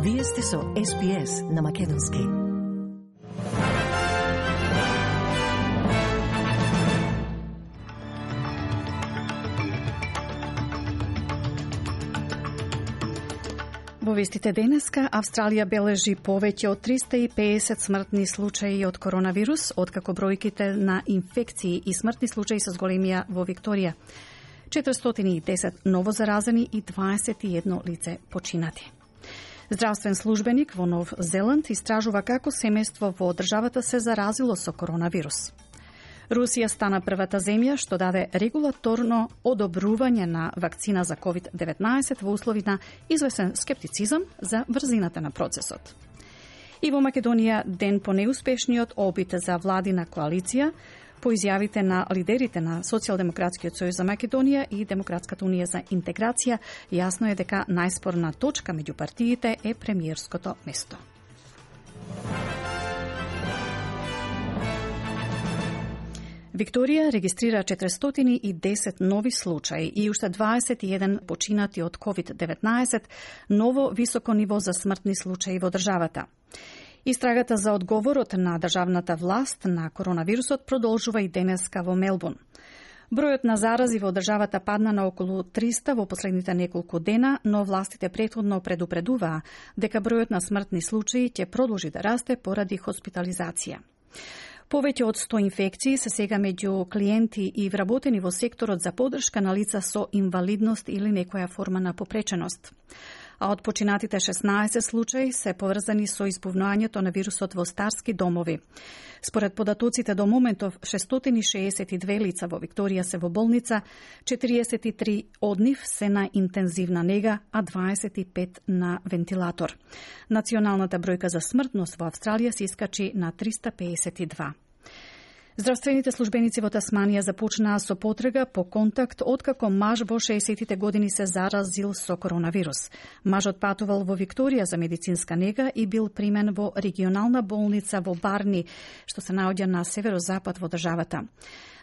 Вие сте со SBS на македонски. Во вестите денеска, Австралија бележи повеќе од 350 смртни случаи од коронавирус, откако бројките на инфекции и смртни случаи се зголемија во Викторија. 410 ново заразени и 21 лице починати. Здравствен службеник во Нов Зеланд истражува како семејство во државата се заразило со коронавирус. Русија стана првата земја што даде регулаторно одобрување на вакцина за COVID-19 во услови на извесен скептицизам за брзината на процесот. И во Македонија ден по неуспешниот опит за владина коалиција, по изјавите на лидерите на Социјалдемократскиот сојуз за Македонија и Демократската унија за интеграција, јасно е дека најспорна точка меѓу партиите е премиерското место. Викторија регистрира 410 нови случаи и уште 21 починати од COVID-19, ново високо ниво за смртни случаи во државата. Истрагата за одговорот на државната власт на коронавирусот продолжува и денеска во Мелбурн. Бројот на зарази во државата падна на околу 300 во последните неколку дена, но властите претходно предупредуваа дека бројот на смртни случаи ќе продолжи да расте поради хоспитализација. Повеќе од 100 инфекции се сега меѓу клиенти и вработени во секторот за поддршка на лица со инвалидност или некоја форма на попреченост. А од починатите 16 случаи се поврзани со избувнувањето на вирусот во старски домови. Според податоците до моментов 662 лица во Викторија се во болница, 43 од нив се на интензивна нега, а 25 на вентилатор. Националната бројка за смртност во Австралија се искачи на 352. Здравствените службеници во Тасманија започнаа со потрага по контакт откако маж во 60-тите години се заразил со коронавирус. Мажот патувал во Викторија за медицинска нега и бил примен во регионална болница во Барни, што се наоѓа на северозапад во државата.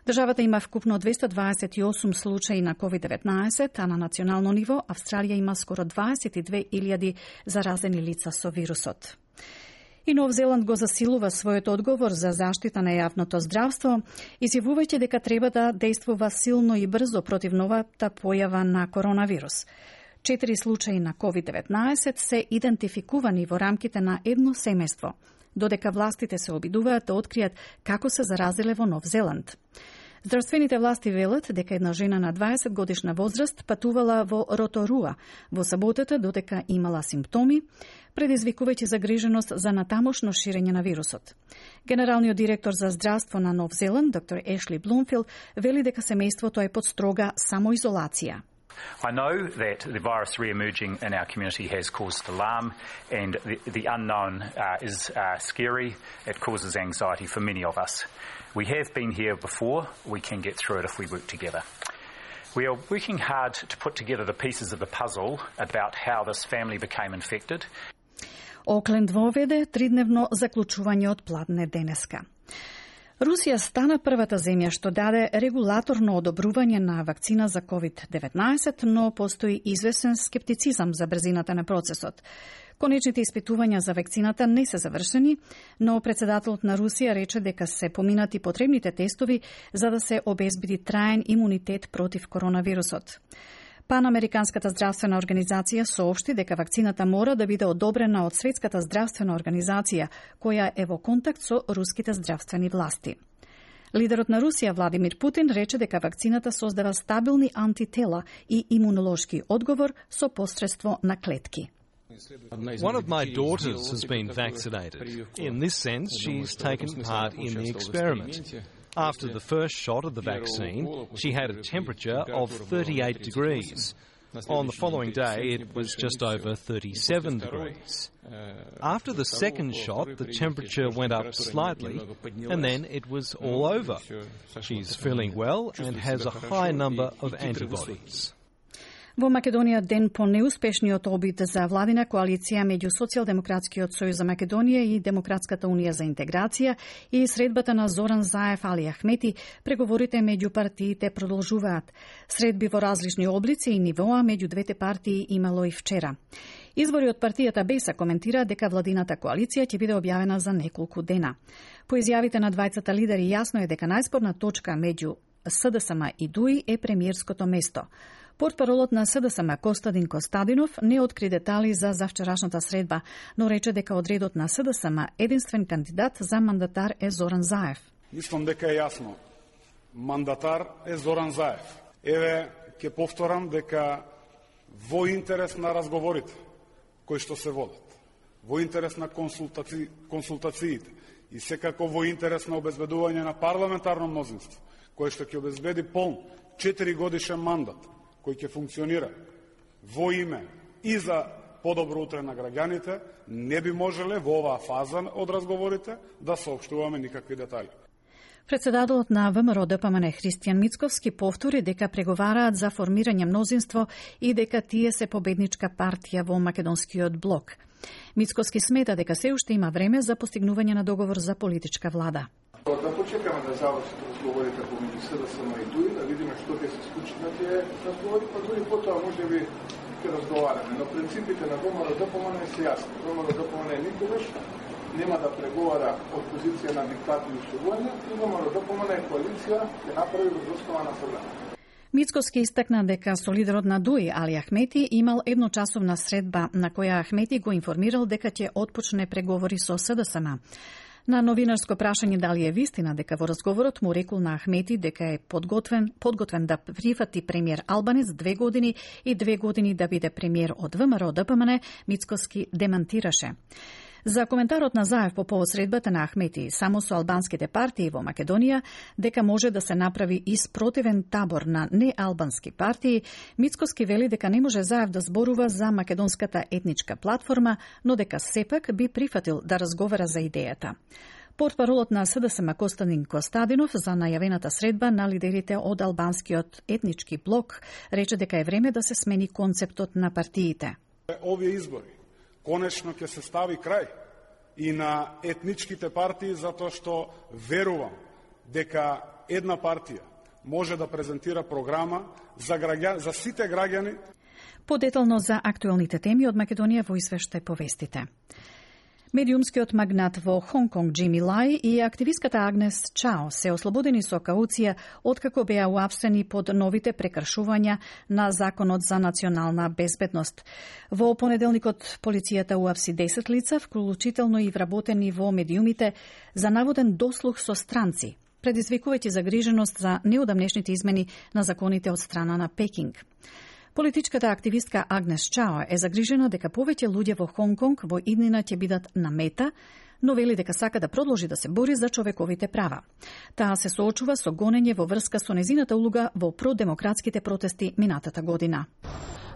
Државата има вкупно 228 случаи на COVID-19, а на национално ниво Австралија има скоро 22.000 заразени лица со вирусот. И Нов Зеланд го засилува својот одговор за заштита на јавното здравство, изјавувајќи дека треба да действува силно и брзо против новата појава на коронавирус. 4 случаи на COVID-19 се идентификувани во рамките на едно семејство, додека властите се обидуваат да откријат како се заразиле во Нов Зеланд. Здравствените власти велат дека една жена на 20 годишна возраст патувала во Роторуа во саботата додека имала симптоми, предизвикувајќи загриженост за натамошно ширење на вирусот. Генералниот директор за здравство на Нов Зеланд, доктор Ешли Блумфилд, вели дека семејството е под строга самоизолација. I know that the virus re-emerging in our community has caused alarm and the unknown is scary. It causes anxiety for many of us. We have been here before. We can get through it if we work together. We are working hard to put together the pieces of the puzzle about how this family became infected. Окленд воведе тридневно заклучување од пладне денеска. Русија стана првата земја што даде регулаторно одобрување на вакцина за COVID-19, но постои извесен скептицизам за брзината на процесот. Конечните испитувања за вакцината не се завршени, но председателот на Русија рече дека се поминати потребните тестови за да се обезбеди траен имунитет против коронавирусот. Панамериканската здравствена организација соопшти дека вакцината мора да биде одобрена од Светската здравствена организација, која е во контакт со руските здравствени власти. Лидерот на Русија Владимир Путин рече дека вакцината создава стабилни антитела и имунолошки одговор со посредство на клетки. One of my daughters has been vaccinated. In this sense, she's taken part in the experiment. After the first shot of the vaccine, she had a temperature of 38 degrees. On the following day, it was just over 37 degrees. After the second shot, the temperature went up slightly, and then it was all over. She's feeling well and has a high number of antibodies. Во Македонија ден по неуспешниот обид за владина коалиција меѓу Социјалдемократскиот сојуз за Македонија и Демократската унија за интеграција и средбата на Зоран Заев Али Ахмети, преговорите меѓу партиите продолжуваат. Средби во различни облици и нивоа меѓу двете партии имало и вчера. Извори од партијата БЕСА коментира дека владината коалиција ќе биде објавена за неколку дена. По изјавите на двајцата лидери јасно е дека најспорна точка меѓу СДСМ и ДУИ е премиерското место. Портпаролот на СДСМ Костадин Костадинов не откри детали за завчерашната средба, но рече дека од редот на СДСМ единствен кандидат за мандатар е Зоран Заев. Мислам дека е јасно. Мандатар е Зоран Заев. Еве, ќе повторам дека во интерес на разговорите кои што се водат, во интерес на консултациите и секако во интерес на обезбедување на парламентарно мнозинство, кој што ќе обезбеди полн 4 годишен мандат, кој ќе функционира во име и за подобро утре на граѓаните, не би можеле во оваа фаза од разговорите да соопштуваме никакви детали. Председателот на ВМРО ДПМН Христијан Мицковски повтори дека преговараат за формирање мнозинство и дека тие се победничка партија во македонскиот блок. Мицковски смета дека се уште има време за постигнување на договор за политичка влада. Да почекаме да завршат разговорите помеѓу СДСМ и ДУИ, да видиме што ќе се случи на тие разговори, па дури потоа можеби ќе разговараме. Но принципите на ВМРО ДПМН се јасни. ВМРО ДПМН никогаш нема да преговара од позиција на диктат и условување, и ВМРО ДПМН коалиција ќе направи врз основа на согласие. Мицковски истакна дека со лидерот на ДУИ Али Ахмети имал едночасовна средба на која Ахмети го информирал дека ќе отпочне преговори со СДСМ. На новинарско прашање дали е вистина дека во разговорот му рекол на Ахмети дека е подготвен да прифати премиер Албанец 2 години и 2 години да биде премиер од ВМРО ДПМН, Мицковски демантираше. За коментарот на Заев по повод средбата на Ахмети само со албанските партии во Македонија, дека може да се направи и спротивен табор на неалбански партии, Мицковски вели дека не може Заев да зборува за македонската етничка платформа, но дека сепак би прифатил да разговара за идејата. Портпаролот на СДСМ Костадин Костадинов за најавената средба на лидерите од албанскиот етнички блок рече дека е време да се смени концептот на партиите. Овие избори конечно ќе се стави крај и на етничките партии, затоа што верувам дека една партија може да презентира програма за сите граѓани. Подетално за актуелните теми од Македонија во извештај по вестите. Медиумскиот магнат во Хонконг Джими Лај и активистката Агнес Чао се ослободени со кауција откако беа уапсени под новите прекршувања на Законот за национална безбедност. Во понеделникот полицијата уапси 10 лица, вклучително и вработени во медиумите, за наводен дослух со странци, предизвикувајќи загриженост за неодамнешните измени на законите од страна на Пекинг. Политичката активистка Агнес Чао е загрижена дека повеќе луѓе во Хонконг во иднина ќе бидат на мета, но вели дека сака да продолжи да се бори за човековите права. Таа се соочува со гонење во врска со незината улога во продемократските протести минатата година.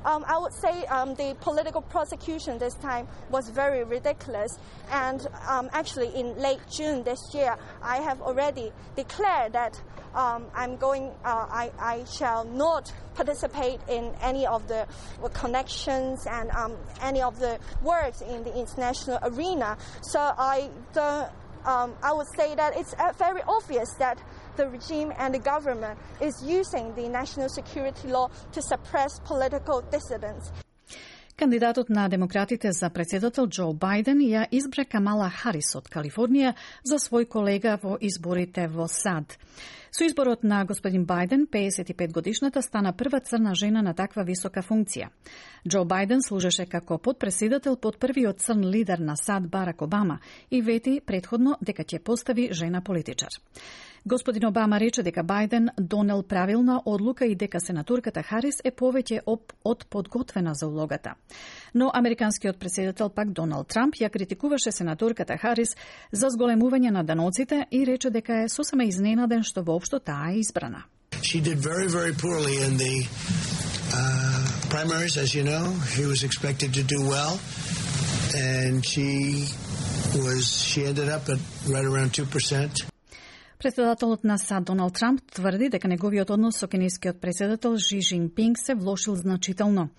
I would say the political prosecution this time was very ridiculous, and actually in late June this year, I have already declared that I shall not participate in any of the connections and any of the works in the international arena. So I would say that it's very obvious that the regime and the government is using the national security law to suppress political dissidents. Кандидатот на демократите за председател Џо Бајден ја избра Камала Харис од Калифорнија за свој колега во изборите во САД. Со изборот на господин Бајден, 55 годишната стана прва црна жена на таква висока функција. Џо Бајден служеше како подпредседател под првиот црн лидер на САД Барак Обама и вети предходно дека ќе постави жена политичар. Господин Обама рече дека Бајден донел правилна одлука и дека сенатурката Харис е повеќе од подготвена за улогата. Но американскиот председател пак Доналд Трамп ја критикуваше сенатурката Харис за зголемување на даноците и рече дека е сосема изненаден што воопшто таа е избрана. She did very, very poorly in the primaries, as you know. She was expected to do well, and she ended up at right around 2%. Председателот на САД Доналд Трамп тврди дека неговиот однос со кинескиот председател Ши Жинпинг се влошил значително.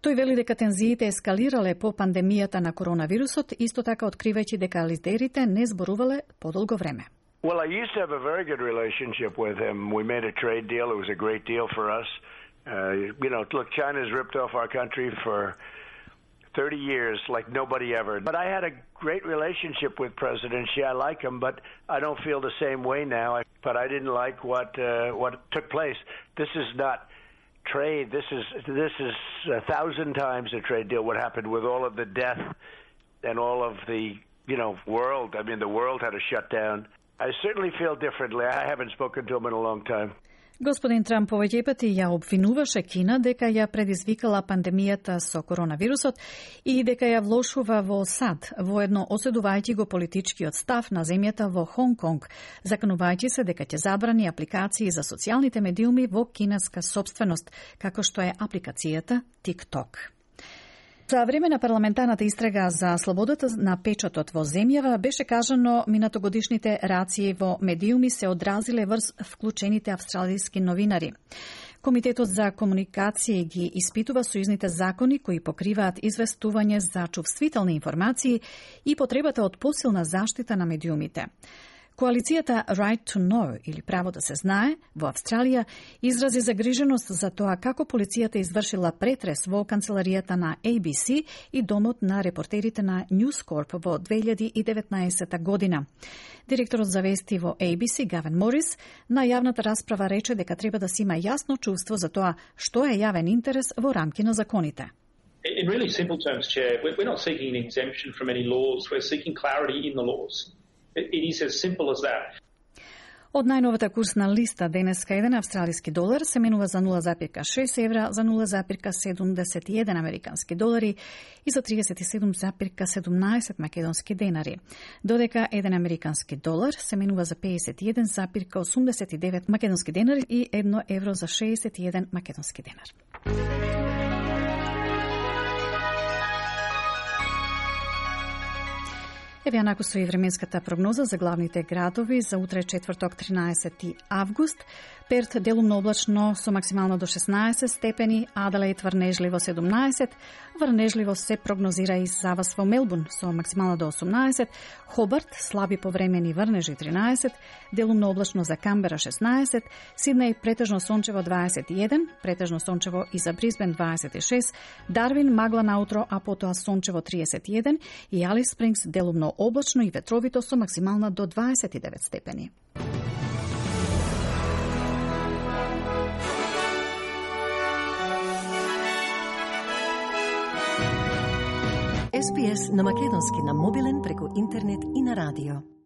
Тој вели дека тензиите ескалирале по пандемијата на коронавирусот, исто така откривајќи дека лидерите не зборувале подолго време. Well, I used to have a very good relationship with him. We made a trade deal. It was a great deal for us. Look, China's ripped off our country for 30 years like nobody ever. But I had a great relationship with President Xi. I like him, but I don't feel the same way now. But I didn't like what took place. This is not trade. This is 1,000 times a trade deal. What happened with all of the death and all of the world. I mean, the world had to shut down. I certainly feel differently. I haven't spoken to him in a long time. Господин Трамп повеќе пати ја обвинуваше Кина дека ја предизвикала пандемијата со коронавирусот и дека ја влошува во САД, воедно осудувајќи го политичкиот став на земјата во Хонг Конг, заканувајќи се дека ќе забрани апликации за социјалните медиуми во кинеска сопственост, како што е апликацијата TikTok. За време на парламентарната истрага за слободата на печатот во земјава беше кажано минатогодишните рации во медиуми се одразиле врз вклучените австралиски новинари. Комитетот за комуникација ги испитува сојузните закони кои покриваат известување за чувствителни информации и потребата од посилна заштита на медиумите. Коалицијата Right to Know, или право да се знае, во Австралија изрази загриженост за тоа како полицијата извршила претрес во канцеларијата на ABC и домот на репортерите на News Corp во 2019 година. Директорот за вести во ABC, Гавен Морис, на јавната расправа рече дека треба да се има јасно чувство за тоа што е јавен интерес во рамки на законите. In really simple terms, Chair, we're not seeking an exemption from any laws, we're seeking clarity in the laws. It is as simple as that. Од најновата курсна листа денеска еден австралиски долар се менува за 0,6 евра, за 0,71 американски долари и за 37,17 македонски денари. Додека еден американски долар се менува за 51,89 македонски денари и 1 евро за 61 македонски денар. Еве анаку со и временската прогноза за главните градови за утре четврток 13 август. Перт делумно облачно со максимално до 16 степени, Аделаид врнежливо 17, врнежливо се прогнозира и за вас во Мелбурн со максимално до 18, Хобарт слаби повремени врнежи 13, делумно облачно за Камбера 16, Сиднеј претежно сончево 21, претежно сончево и за Брисбен 26, Дарвин магла наутро, а потоа сончево 31 и Алис Спрингс делумно облачно и ветровито со максимална до 29 степени. SPS на македонски на мобилен преку интернет и на радио.